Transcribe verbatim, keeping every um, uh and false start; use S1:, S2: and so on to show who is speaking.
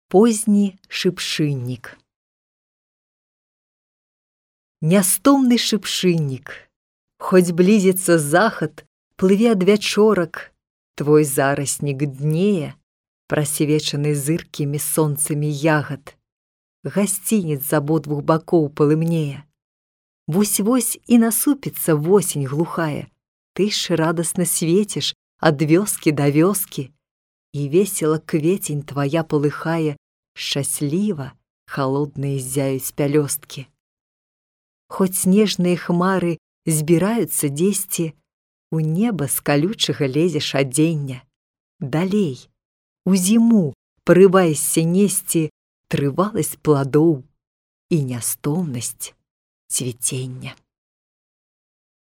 S1: Позні шыпшыннік. Нястомны шыпшыннік, хоць блізіцца захад, плыве адвячорак, твой зараснік днее, прасвечаны зыркімі сонцамі ягад. Гасцінец з абодвух бакоў палымнее. Вось-вось і насупіцца восень глухая, ты ж радасна свеціш ад вёскі да вёскі, і весела кветень твая палыхае, шчасліва халодныя ззяюць пялёсткі. Хоць снежныя хмары збіраюцца дзесьці, у неба з калючага лезеш адзення. Далей, у зіму парываешся несці трываласць пладоў і нястомнасць цвіцення.